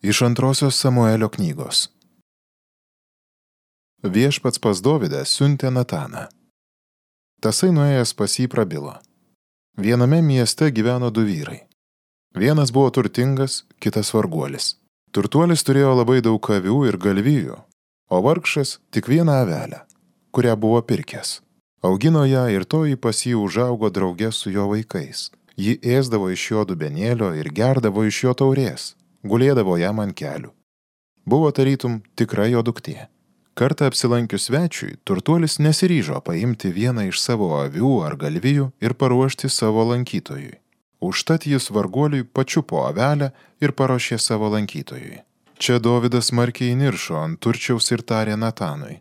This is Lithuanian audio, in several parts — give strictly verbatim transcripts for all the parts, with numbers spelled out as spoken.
Iš antrosios Samuelio knygos. Viešpats pas Dovydą siuntė Nataną. Tasai nuėjęs pas jį prabilo. Viename mieste gyveno du vyrai. Vienas buvo turtingas, kitas varguolis. Turtuolis turėjo labai daug avių ir galvijų, o vargšas tik vieną avelę, kurią buvo pirkęs. Augino ją ir toji pas jį užaugo drauge su jo vaikais. Ji ėsdavo iš jo dubenėlio ir gerdavo iš jo taurės. Gulėdavo jam ant kelių. Buvo tarytum tikra jo duktė. Kartą apsilankius svečiui, turtuolis nesiryžo paimti vieną iš savo avių ar galvijų ir paruošti savo lankytojui. Užtat jis varguoliui pačiupo avelę ir paruošė savo lankytojui. Čia Dovydas smarkiai įniršo ant turčiaus ir tarė Natanui: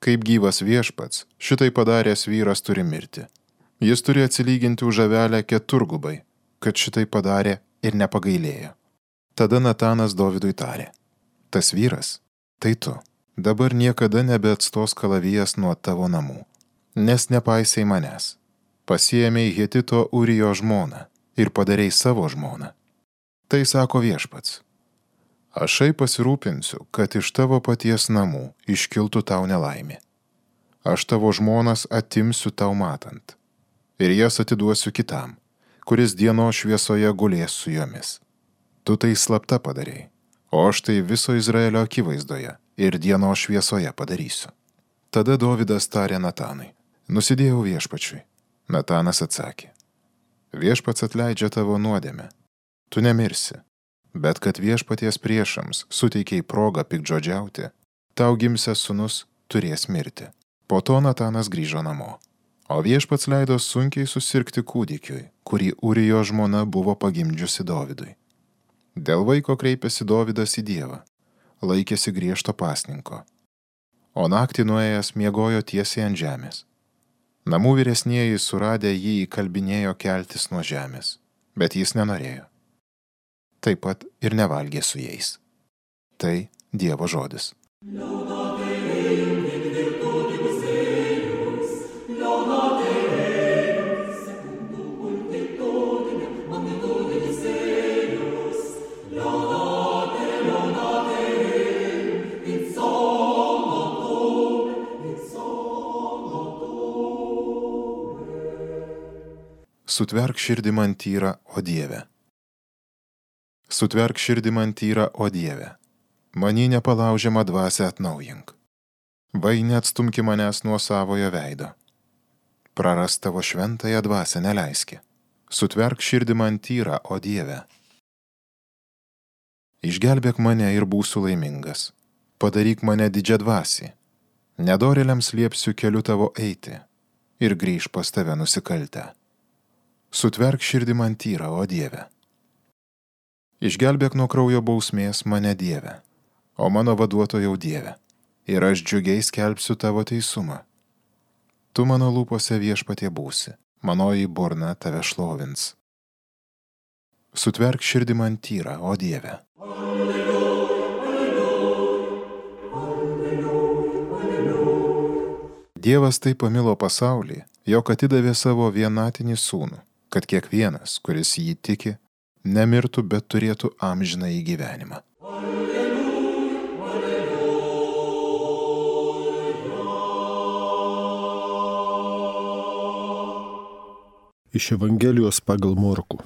kaip gyvas viešpats, šitai padaręs vyras turi mirti. Jis turi atsilyginti už avelę keturgubai, kad šitai padarė ir nepagailėjo. Tada Natanas Dovydui tarė: tas vyras, tai tu. Dabar niekada nebeatstos kalavijas nuo tavo namų, nes nepaisai manęs. Pasiėmei Hetito Urijo žmoną ir padarei savo žmoną. Tai sako viešpats: ašai pasirūpinsiu, kad iš tavo paties namų iškiltų tau nelaimė. Aš tavo žmonas atimsiu tau matant, ir jas atiduosiu kitam, kuris dienos šviesoje gulės su jomis. Tu tai slapta padarei, o aš tai viso Izraelio akivaizdoje ir dienos šviesoje padarysiu. Tada Dovydas tarė Natanui: nusidėjau viešpačiui. Natanas atsakė: viešpats atleidžia tavo nuodėmę. Tu nemirsi, bet kad viešpaties priešams suteikiai progą piktžodžiauti, tau gimsęs sūnus turės mirti. Po to Natanas grįžo namo, o viešpats leido sunkiai susirgti kūdikiui, kurį Urijo žmona buvo pagimdžiusi Dovydui. Dėl vaiko kreipėsi Dovydas į Dievą, laikėsi griežto pasninko, o naktį nuėjęs miegojo tiesiai ant žemės. Namų vyresnieji suradę jį įkalbinėjo keltis nuo žemės, bet jis nenorėjo. Taip pat ir nevalgė su jais. Tai Dievo žodis. Sutverk širdį man tyrą, o Dieve. Sutverk širdį man tyrą, o Dieve. Manį nepalaužiamą dvasią atnaujink. Vai neatstumki manęs nuo savojo veido. Prarast tavo šventąją dvasią neleiski. Sutverk širdį man tyrą, o Dieve. Išgelbėk mane ir būsiu laimingas. Padaryk mane didžiadvasį. Nedorėliams liepsiu keliu tavo eiti ir grįž pas tave nusikaltę. Sutverk širdį man tyrą, o Dieve. Išgelbėk nuo kraujo bausmės mane, Dieve, o mano vaduotojau Dieve, ir aš džiugiai skelbsiu tavo teisumą. Tu mano lūpose viešpatie būsi, manoji burna tave šlovins. Sutverk širdį man tyrą, o Dieve. Dievas taip pamilo pasaulį, jog atidavė savo vienatinį sūnų, kad kiekvienas, kuris jį tiki, nemirtų, bet turėtų amžinąjį gyvenimą. Iš Evangelijos pagal Morkų.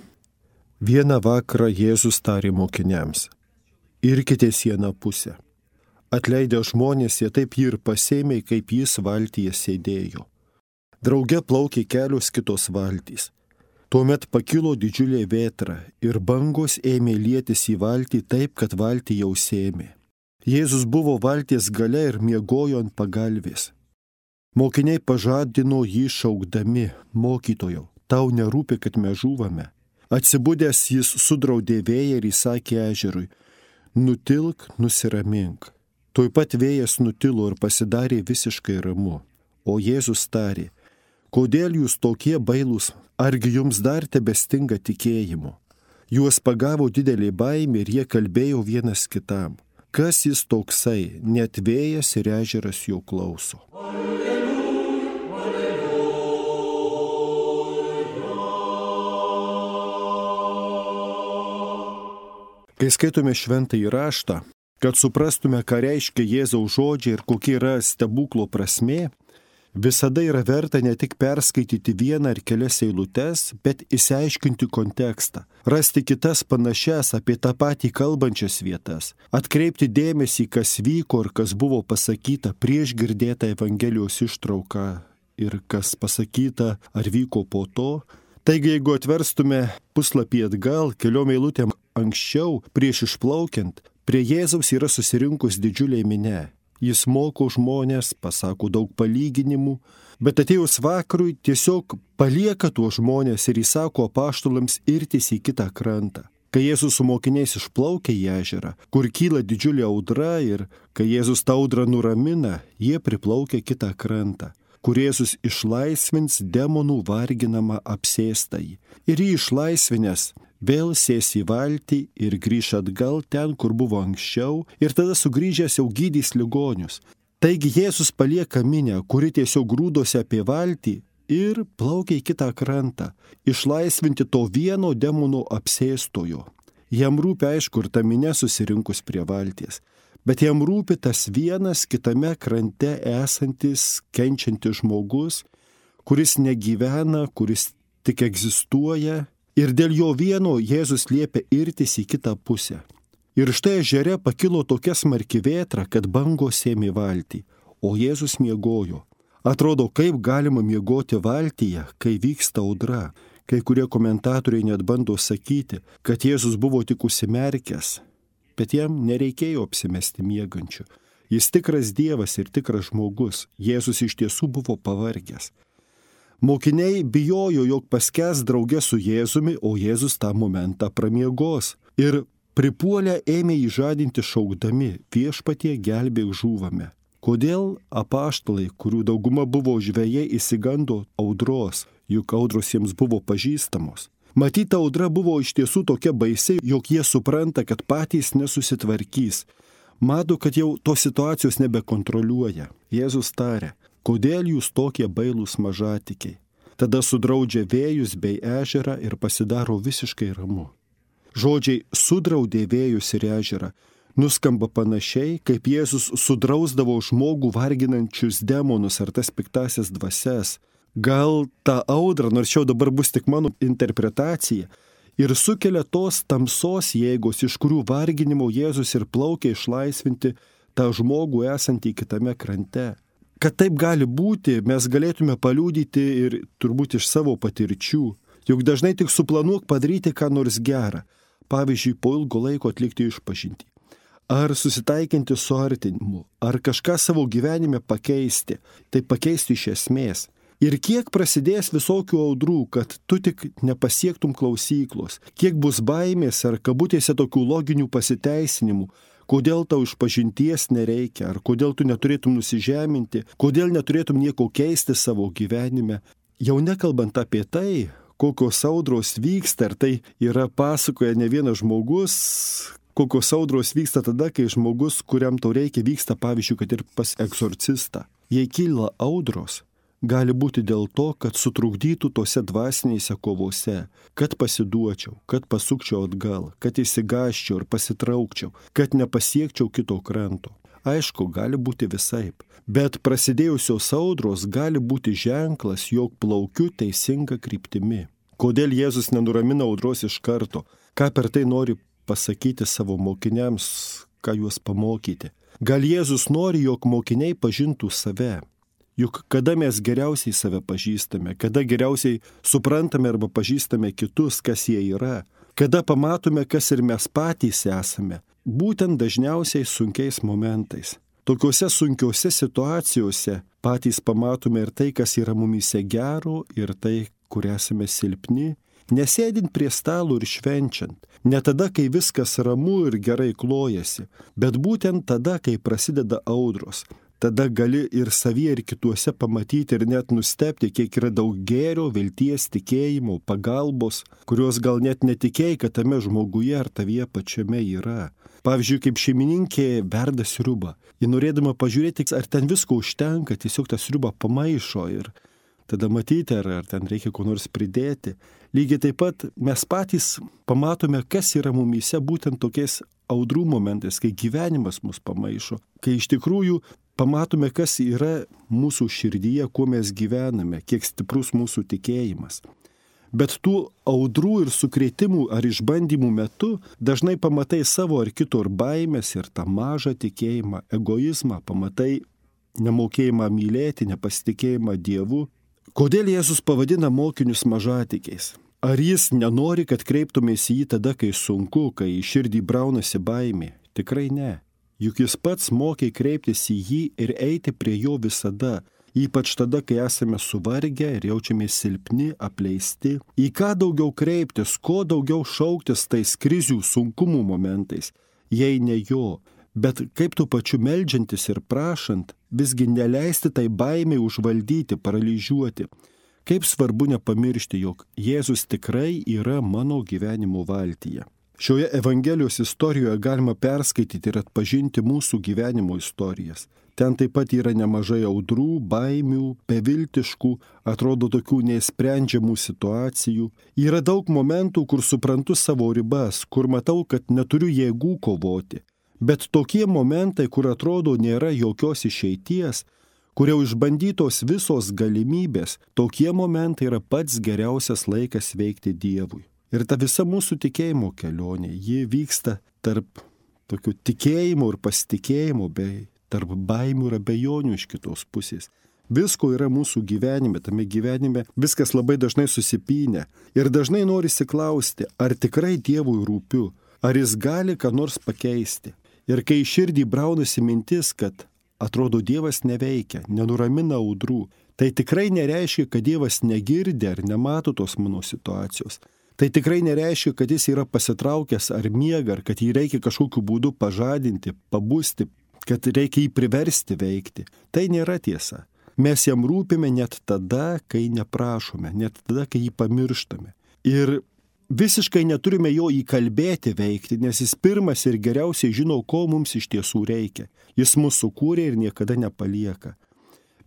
Vieną vakarą Jėzus tarė mokiniams: irkitės į aną pusę. Atleidę žmonės, jie taip jį ir pasėmė, kaip jis valtyje sėdėjo. Drauge plaukė kelios kitos valtys. Tuomet pakilo didžiulė vėtra ir bangos ėmė lietis į valtį taip, kad valtį jau sėmė. Jėzus buvo valties gale ir miegojo ant pagalvės. Mokiniai pažadino jį šaukdami: mokytojau, tau nerūpi, kad mes žūvame. Atsibudęs jis sudraudė vėją ir įsakė ežerui: nutilk, nusiramink. Tuoj pat vėjas nutilo ir pasidarė visiškai ramu. O Jėzus tarė: kodėl jūs tokie bailūs, argi jums dar tebestinga tikėjimo? Juos pagavo didelė baimė ir jie kalbėjo vienas kitam: kas jis toksai, net vėjas ir ežeras jo klauso. Kai skaitome šventąjį raštą, kad suprastume, ką reiškia Jėzaus žodžiai ir kokia yra stebuklo prasmė, visada yra verta ne tik perskaityti vieną ar kelias eilutes, bet išsiaiškinti kontekstą, rasti kitas panašias apie tą patį kalbančias vietas, atkreipti dėmesį, kas vyko ir kas buvo pasakyta prieš girdėtą Evangelijos ištrauką ir kas pasakyta ar vyko po to. Taigi, jeigu atverstume puslapį atgal, keliom eilutėm anksčiau, prieš išplaukiant, prie Jėzaus yra susirinkus didžiuliai minė. Jis moko žmonės, pasako daug palyginimų, bet atėjus vakarui tiesiog palieka tuos žmonės ir įsako apaštalams irtis į kitą krantą. Kai Jėzus su mokiniais išplaukia į ežerą, kur kyla didžiulė audra ir kai Jėzus tą audrą nuramina, jie priplaukia kitą krantą, kur Jėzus išlaisvins demonų varginamą apsėstąjį. Ir jį išlaisvinęs vėl sės į valtį ir grįš atgal ten, kur buvo anksčiau, ir tada sugrįžęs jau gydys ligonius. Taigi Jėzus palieka minę, kuri tiesiog grūdosi apie valtį ir plaukia į kitą krantą, išlaisvinti to vieno demonų apsėstojo. Jam rūpi, aišku, ir ta minė susirinkus prie valties, bet jam rūpi tas vienas kitame krante esantis, kenčiantis žmogus, kuris negyvena, kuris tik egzistuoja. Ir dėl jo vieno Jėzus liepia irtis į kitą pusę. Ir štai ežere pakilo tokia smarki vėtra, kad bangos ėmė valtį, o Jėzus miegojo. Atrodo, kaip galima miegoti valtyje, kai vyksta audra. Kai kurie komentatoriai net bando sakyti, kad Jėzus buvo tik užsimerkęs, bet jam nereikėjo apsimesti miegančiu. Jis tikras Dievas ir tikras žmogus. Jėzus iš tiesų buvo pavargęs. Mokiniai bijojo, jog paskęs drauge su Jėzumi, o Jėzus tą momentą pramiegos. Ir pripuolę ėmė jį žadinti šaukdami, viešpatie gelbėk žūvame. Kodėl apaštalai, kurių dauguma buvo žvejai, išsigando audros, juk audros jiems buvo pažįstamos. Matyta audra buvo iš tiesų tokia baisi, jog jie supranta, kad patys nesusitvarkys. Mato, kad jau tos situacijos nebekontroliuoja. Jėzus tarė, kodėl jūs tokie bailūs mažatikiai? Tada sudraudžia vėjus bei ežerą ir pasidaro visiškai ramu. Žodžiai sudraudė vėjus ir ežerą nuskamba panašiai, kaip Jėzus sudrausdavo žmogų varginančius demonus ar tas piktasias dvasias. Gal tą audrą, nors jau dabar bus tik mano interpretacija, ir sukelia tos tamsos jėgos, iš kurių varginimo Jėzus ir plaukia išlaisvinti tą žmogų esantį kitame krante. Kad taip gali būti, mes galėtume paliudyti ir turbūt iš savo patirčių. Juk dažnai tik suplanuok padaryti ką nors gerą. Pavyzdžiui, po ilgo laiko atlikti išpažintį. Ar susitaikinti su artinimu, ar kažką savo gyvenime pakeisti. Tai pakeisti iš esmės. Ir kiek prasidės visokių audrų, kad tu tik nepasiektum klausyklos. Kiek bus baimės ar kabutėse tokių loginių pasiteisinimų. Kodėl tau išpažinties nereikia, ar kodėl tu neturėtum nusižeminti, kodėl neturėtum nieko keisti savo gyvenime. Jau nekalbant apie tai, kokios audros vyksta, ar tai yra pasakoja ne vienas žmogus, kokios audros vyksta tada, kai žmogus, kuriam tau reikia, vyksta, pavyzdžiui, kad ir pas egzorcistą. Jei kyla audros, gali būti dėl to, kad sutrukdytų tose dvasinėse kovose, kad pasiduočiau, kad pasukčiau atgal, kad įsigaščiau ir pasitraukčiau, kad nepasiekčiau kito kranto. Aišku, gali būti visaip, bet prasidėjusios audros gali būti ženklas, jog plaukiu teisinga kryptimi. Kodėl Jėzus nenuramina audros iš karto? Ką per tai nori pasakyti savo mokiniams, ką juos pamokyti? Gal Jėzus nori, jog mokiniai pažintų save? Juk kada mes geriausiai save pažįstame, kada geriausiai suprantame arba pažįstame kitus, kas jie yra, kada pamatome, kas ir mes patys esame, būtent dažniausiai sunkiais momentais. Tokiuose sunkiuose situacijose patys pamatome ir tai, kas yra mumyse gero, ir tai, kur esame silpni, nesėdint prie stalo ir švenčiant, ne tada, kai viskas ramu ir gerai klojasi, bet būtent tada, kai prasideda audros. Tada gali ir savyje, ir kituose pamatyti ir net nustebti, kiek yra daug gėrio, vilties, tikėjimo, pagalbos, kurios gal net netikėjai, kad tame žmoguje ar tavyje pačiame yra. Pavyzdžiui, kaip šeimininkė verda sriubą. Ji norėdama pažiūrėti, ar ten visko užtenka, tiesiog tą sriubą pamaišo ir tada matyti, ar, ar ten reikia ko nors pridėti. Lygiai taip pat mes patys pamatome, kas yra mumyse būtent tokiais audrų momentais, kai gyvenimas mus pamaišo, kai iš tikrųjų pamatome, kas yra mūsų širdyje, kuo mes gyvename, kiek stiprus mūsų tikėjimas. Bet tų audrų ir sukrėtimų ar išbandymų metu dažnai pamatai savo ar kito ir baimės ir tą mažą tikėjimą, egoizmą, pamatai nemokėjimą mylėti, nepasitikėjimą Dievu. Kodėl Jėzus pavadina mokinius mažatikiais? Ar jis nenori, kad kreiptumės į jį tada, kai sunku, kai į širdį braunasi baimė? Tikrai ne. Juk jis pats mokė kreiptis į jį ir eiti prie jo visada, ypač tada, kai esame suvargę ir jaučiamės silpni, apleisti. Į ką daugiau kreiptis, ko daugiau šauktis tais krizių sunkumų momentais, jei ne jo, bet kaip tu pačiu meldžiantis ir prašant, visgi neleisti tai baimiai užvaldyti, paralyžiuoti. Kaip svarbu nepamiršti, jog Jėzus tikrai yra mano gyvenimo valtyje. Šioje Evangelijos istorijoje galima perskaityti ir atpažinti mūsų gyvenimo istorijas. Ten taip pat yra nemažai audrų, baimių, beviltiškų, atrodo tokių neįsprendžiamų situacijų. Yra daug momentų, kur suprantu savo ribas, kur matau, kad neturiu jėgų kovoti. Bet tokie momentai, kur atrodo nėra jokios išeities, kur jau išbandytos visos galimybės, tokie momentai yra pats geriausias laikas veikti Dievui. Ir ta visa mūsų tikėjimo kelionė, ji vyksta tarp tokių tikėjimų ir pasitikėjimų, bei tarp baimių ir abejonių iš kitos pusės. Visko yra mūsų gyvenime, tame gyvenime viskas labai dažnai susipynę. Ir dažnai norisi klausti, ar tikrai Dievui rūpiu, ar jis gali ką nors pakeisti. Ir kai širdį braunasi mintis, kad atrodo Dievas neveikia, nenuramina audrų, tai tikrai nereiškia, kad Dievas negirdi ar nemato tos mano situacijos. Tai tikrai nereiškia, kad jis yra pasitraukęs ar miega, ar kad jį reikia kažkokiu būdu pažadinti, pabusti, kad reikia jį priversti veikti. Tai nėra tiesa. Mes jam rūpime net tada, kai neprašome, net tada, kai jį pamirštame. Ir visiškai neturime jo įkalbėti veikti, nes jis pirmas ir geriausiai žino, ko mums iš tiesų reikia. Jis mūsų sukūrė ir niekada nepalieka.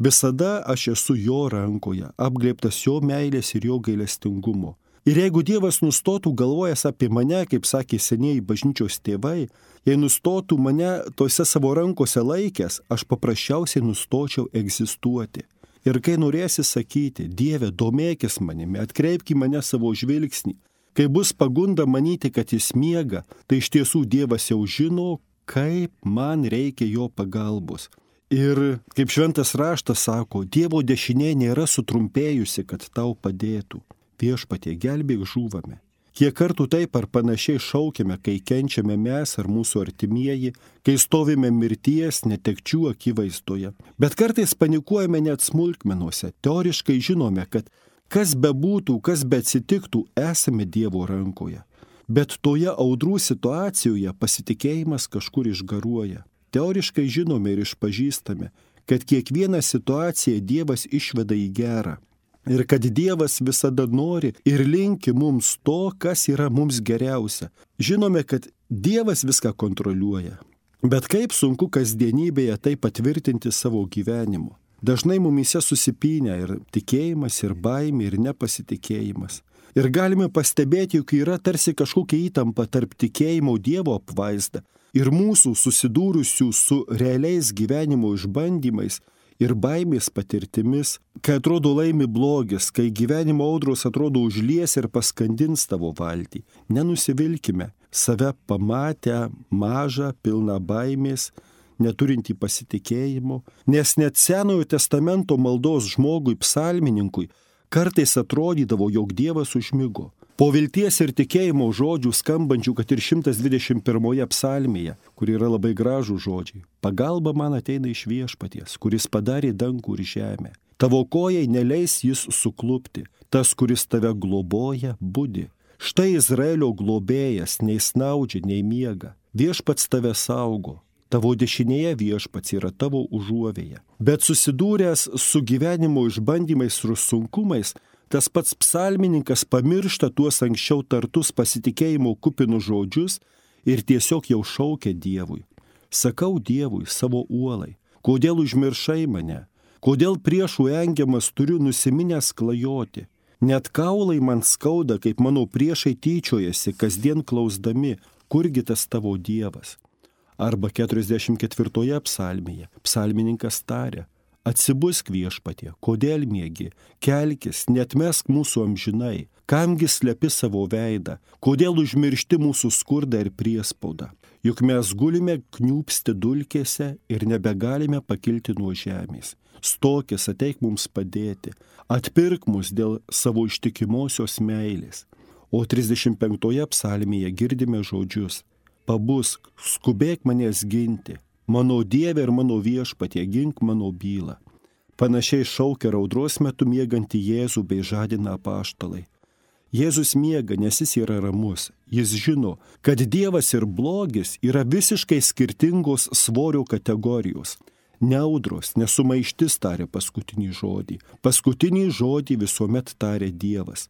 Visada aš esu jo rankoje, apglėbtas jo meilės ir jo gailestingumo. Ir jeigu Dievas nustotų galvojęs apie mane, kaip sakė senieji bažnyčios tėvai, jei nustotų mane tose savo rankose laikęs, aš paprasčiausiai nustočiau egzistuoti. Ir kai norėsi sakyti, Dieve, domėkis manimi, atkreipk į mane savo žvilgsnį, kai bus pagunda manyti, kad jis miega, tai iš tiesų Dievas jau žino, kaip man reikia jo pagalbos. Ir kaip šventas raštas sako, Dievo dešinė nėra sutrumpėjusi, kad tau padėtų. Viešpatie, gelbėk žūvame. Kiek kartų taip ar panašiai šaukiame, kai kenčiame mes ar mūsų artimieji, kai stovime mirties, netekčių akivaizdoje. Bet kartais panikuojame net smulkmenuose. Teoriškai žinome, kad kas bebūtų, kas beatsitiktų, esame Dievo rankoje. Bet toje audrų situacijoje pasitikėjimas kažkur išgaruoja. Teoriškai žinome ir išpažįstame, kad kiekvieną situaciją Dievas išveda į gerą. Ir kad Dievas visada nori ir linki mums to, kas yra mums geriausia. Žinome, kad Dievas viską kontroliuoja. Bet kaip sunku kasdienybėje tai patvirtinti savo gyvenimu. Dažnai mumyse susipynę ir tikėjimas, ir baimė, ir nepasitikėjimas. Ir galime pastebėti, jog yra tarsi kažkokia įtampa tarp tikėjimo Dievo apvaizda ir mūsų susidūrusių su realiais gyvenimo išbandymais ir baimės patirtimis, kai atrodo laimi blogis, kai gyvenimo audros atrodo užlies ir paskandins tavo valtį. Nenusivilkime, save pamatę mažą, pilną baimės, neturintį pasitikėjimo, nes net Senojo testamento maldos žmogui, psalmininkui, kartais atrodydavo, jog Dievas užmigo. Po vilties ir tikėjimo žodžių skambančių, kad ir šimtas dvidešimt pirmoje psalmėje, kur yra labai gražų žodžiai. Pagalba man ateina iš Viešpaties, kuris padarė dangų ir žemę. Tavo kojai neleis jis suklupti, tas, kuris tave globoja, budi. Štai Izraelio globėjas nei snaudžia, nei miega. Viešpats tave saugo. Tavo dešinėje Viešpats yra tavo užuovėje. Bet susidūręs su gyvenimo išbandymais ir sunkumais, tas pats psalmininkas pamiršta tuos anksčiau tartus pasitikėjimo kupinus žodžius ir tiesiog jau šaukia Dievui. Sakau Dievui, savo uolai, kodėl užmiršai mane? Kodėl priešų engiamas turiu nusiminęs klajoti? Net kaulai man skauda, kaip mano priešai tyčiojasi, kasdien klausdami, kurgi tas tavo Dievas. Arba keturiasdešimt ketvirtoje psalmėje psalmininkas taria, atsibusk viešpatie, kodėl miegi, kelkis, netmesk mūsų amžinai, kamgi slepi savo veidą, kodėl užmiršti mūsų skurdą ir priespaudą. Juk mes gulime kniūpsti dulkėse ir nebegalime pakilti nuo žemės. Stokis, ateik mums padėti, atpirk mus dėl savo ištikimosios meilės. O trisdešimt penktoje psalmėje girdime žodžius, pabusk, skubėk manęs ginti, mano Dieve ir mano viešpatie, gink mano bylą. Panašiai šaukia raudros metu miegantį Jėzų bei žadina apaštalai. Jėzus miega, nes jis yra ramus. Jis žino, kad Dievas ir blogis yra visiškai skirtingos svorio kategorijos. Neaudros, nesumaištis taria paskutinį žodį. Paskutinį žodį visuomet taria Dievas.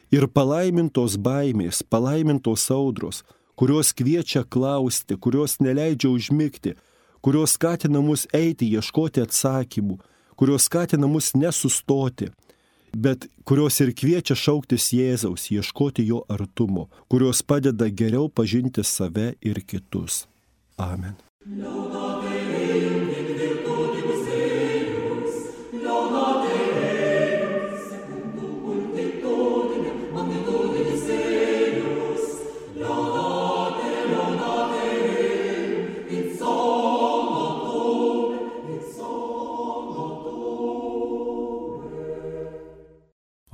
Ir palaimintos baimės, palaimintos audros, kurios kviečia klausti, kurios neleidžia užmigti, kurios skatina mus eiti, ieškoti atsakymų, kurios skatina mus nesustoti, bet kurios ir kviečia šauktis Jėzaus, ieškoti jo artumo, kurios padeda geriau pažinti save ir kitus. Amen.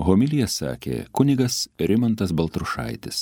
Homiliją sakė kunigas Rimantas Baltrušaitis.